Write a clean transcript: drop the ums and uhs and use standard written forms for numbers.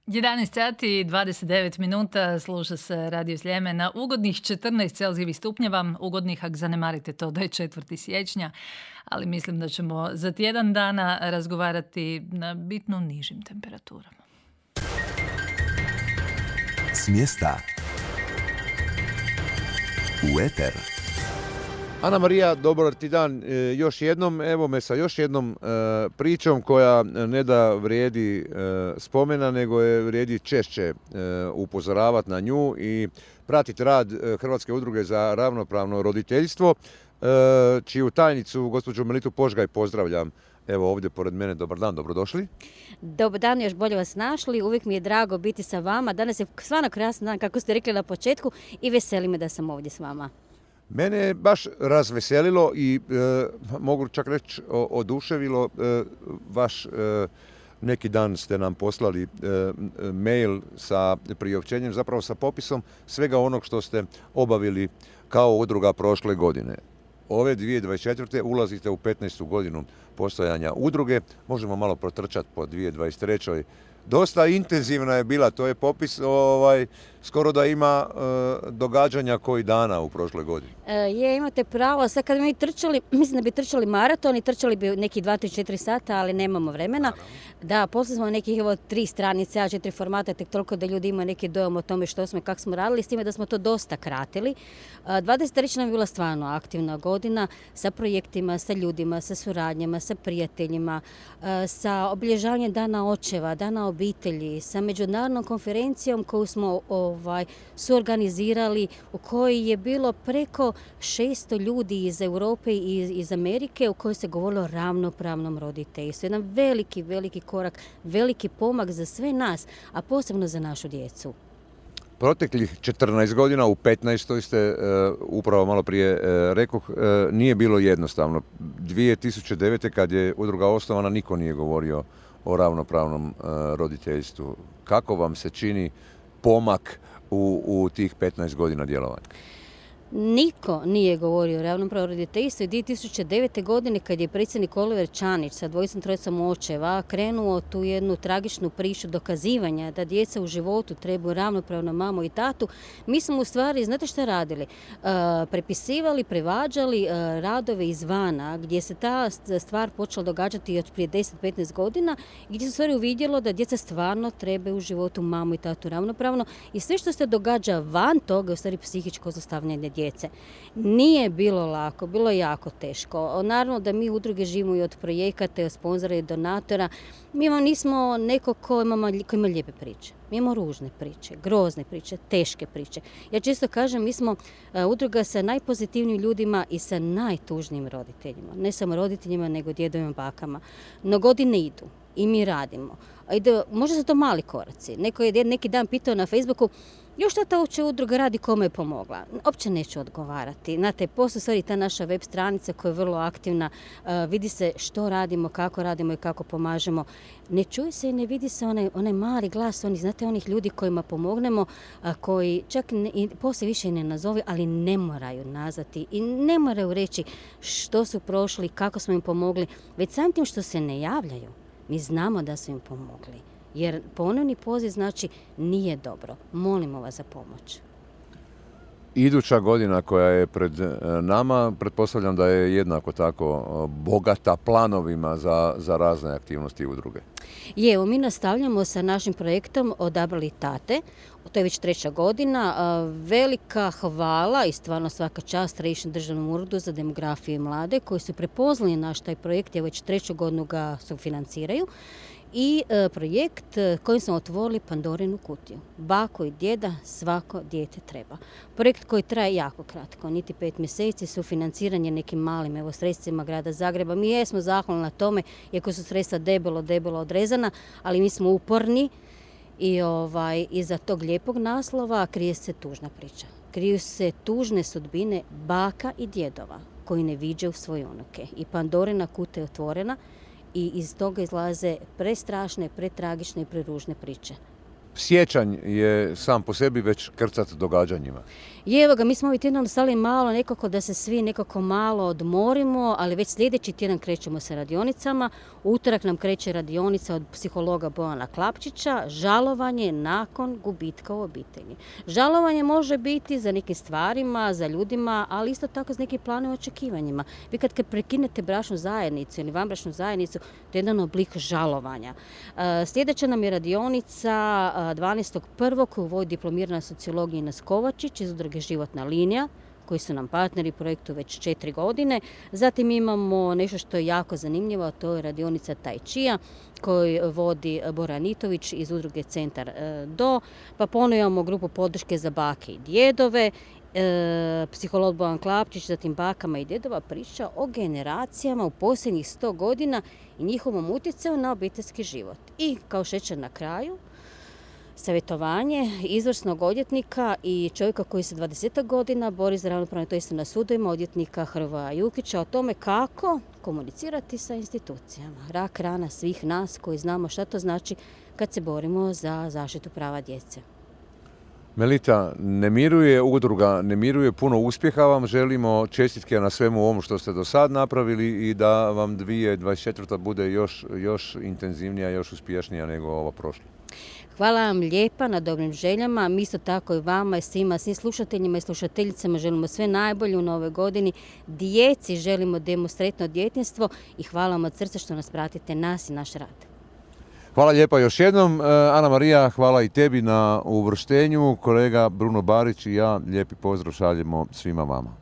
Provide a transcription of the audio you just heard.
11 sati i 29 minuta sluša se Radio Sljeme na ugodnih 14 Celzijevih stupnjeva. Ugodnih ako zanemarite to da je 4. siječnja, ali mislim da ćemo za tjedan dana razgovarati na bitno nižim temperaturama. S mjesta u eter. Ana Marija, dobar ti dan još jednom. Evo me sa još jednom pričom koja ne da vrijedi spomena, nego je vrijedi češće upozoravati na nju i pratiti rad Hrvatske udruge za ravnopravno roditeljstvo, čiju tajnicu, gospođu Melitu Požgaj, pozdravljam. Evo ovdje pored mene. Dobar dan, dobrodošli. Dobar dan, još bolje vas našli. Uvijek mi je drago biti sa vama. Danas je stvarno krasan dan, kako ste rekli na početku, i veseli me da sam ovdje s vama. Mene je baš razveselilo i mogu čak reći oduševilo vaš neki dan ste nam poslali mail sa priopćenjem, zapravo sa popisom svega onog što ste obavili kao udruga prošle godine. Ove 2024. ulazite u 15. godinu postojanja udruge. Možemo malo protrčati po 2023. Dosta intenzivna je bila, to je popis skoro da ima događanja koji dana u prošloj godini. Imate pravo, sad kad bi mi trčali, mislim da bi trčali maraton i trčali bi neki 2-4 sata, ali nemamo vremena. Da, poslali smo nekih 3 stranice, A4 formata, tek toliko da ljudi imaju neki dojam o tome što smo i kako smo radili, s time da smo to dosta kratili. 23. nam je bila stvarno aktivna godina sa projektima, sa ljudima, sa suradnjama, sa prijateljima, sa obilježavanjem Dana očeva, Dana obitelji, sa međunarodnom konferencijom koju smo suorganizirali, u kojoj je bilo preko 600 ljudi iz Europe i iz Amerike, u kojoj se govorilo o ravnopravnom roditeljstvu. Jedan veliki, veliki korak, veliki pomak za sve nas, a posebno za našu djecu. Proteklih 14 godina, u 15. ste, upravo malo prije rekoh, nije bilo jednostavno. 2009. kad je udruga osnovana, niko nije govorio o ravnopravnom roditeljstvu. Kako vam se čini pomak u tih 15 godina djelovanja? Niko nije govorio o ravnopravnom roditeljstvu. 2009. godine kad je predsjednik Oliver Čanić sa dvojicom trojicom očeva krenuo tu jednu tragičnu priču dokazivanja da djeca u životu trebaju ravnopravno mamu i tatu, mi smo u stvari, znate šta radili? Prepisivali, prevađali radove izvana gdje se ta stvar počela događati od prije 10-15 godina, gdje se u stvari uvidjelo da djeca stvarno trebaju u životu mamu i tatu ravnopravno i sve što se događa van toga je u stvari psihičko zlostavljanje djece. Nije bilo lako, bilo je jako teško. Naravno da mi udruge živimo i od projekata, i od sponzora i donatora. Mi vam nismo neko ko ima lijepe priče. Mi imamo ružne priče, grozne priče, teške priče. Ja često kažem, mi smo udruga sa najpozitivnijim ljudima i sa najtužnijim roditeljima. Ne samo roditeljima, nego djedovima, bakama. No godine idu i mi radimo. Možda su to mali koraci. Neko je neki dan pitao na Facebooku, još šta ta uopće udruga radi, kome je pomogla? Opće neću odgovarati. Znate, postoji stvari ta naša web stranica koja je vrlo aktivna. Vidi se što radimo, kako radimo i kako pomažemo. Ne čuje se i ne vidi se onaj mali glas, znate, onih ljudi kojima pomognemo, koji čak poslije više i ne nazovi, ali ne moraju nazvati i ne moraju reći što su prošli, kako smo im pomogli, već samim tim što se ne javljaju. Mi znamo da su im pomogli. Jer ponovni poziv znači nije dobro. Molimo vas za pomoć. Iduća godina koja je pred nama, pretpostavljam da je jednako tako bogata planovima za razne aktivnosti udruge. Evo, mi nastavljamo sa našim projektom Odabrali tate. To je već 3. godina. Velika hvala i stvarno svaka čast Središnjem državnom uredu za demografiju i mlade koji su prepoznali naš taj projekt, jer već 3. godinu ga sufinanciraju. I projekt kojim smo otvorili Pandorinu kutiju. Bako i djeda, svako dijete treba. Projekt koji traje jako kratko, niti 5 mjeseci, sufinanciranje nekim malim sredstvima grada Zagreba. Mi jesmo zahvalni na tome, iako su sredstva debelo odrezana, ali mi smo uporni i iza tog lijepog naslova krije se tužna priča. Kriju se tužne sudbine baka i djedova koji ne viđaju svoje unuke. I Pandorina kutija je otvorena i iz toga izlaze prestrašne, pretragične i preružne priče. sjećanj je sam po sebi već krcat događanjima. I evo ga, mi smo ovaj tjedan ostali malo nekako da se svi nekako malo odmorimo, ali već sljedeći tjedan krećemo sa radionicama. U utorak nam kreće radionica od psihologa Bojana Klapčića, žalovanje nakon gubitka u obitelji. Žalovanje može biti za nekim stvarima, za ljudima, ali isto tako za nekim planom očekivanjima. Vi kad prekinete bračnu zajednicu ili vanbračnu zajednicu, to je jedan oblik žalovanja. Sljedeća nam je radionica 12.1. koju vodi diplomirana sociologija Ines Kovačić iz udruge Životna linija, koji su nam partneri projektu već 4 godine. Zatim imamo nešto što je jako zanimljivo, a to je radionica Tai Chia koju vodi Bora Anitović iz udruge Centar Do. Pa ponovno imamo grupu podrške za bake i djedove. Psiholog Bojan Klapčić, zatim bakama i djedova priča o generacijama u posljednjih 100 godina i njihovom utjecaju na obiteljski život. I kao šećer na kraju, savjetovanje izvrsnog odvjetnika i čovjeka koji se 20 godina bori za ravnopravno to isto na sudovima, odvjetnika Hrvoja Jukića, o tome kako komunicirati sa institucijama. Rak rana svih nas koji znamo šta to znači kad se borimo za zaštitu prava djece. Melita, udruga ne miruje, puno uspjeha vam želimo, čestitke na svemu ovom što ste do sad napravili i da vam 2024. bude još intenzivnija, još uspješnija nego ova prošla. Hvala vam lijepa na dobrim željama. Mi isto tako i vama i svim slušateljima i slušateljicama želimo sve najbolje u novoj godini. Djeci želimo sretno djetinjstvo i hvala vam od srca što nas pratite, nas i naš rad. Hvala lijepa još jednom. Ana Marija, hvala i tebi na uvrštenju. Kolega Bruno Barić i ja lijepi pozdrav šaljemo svima vama.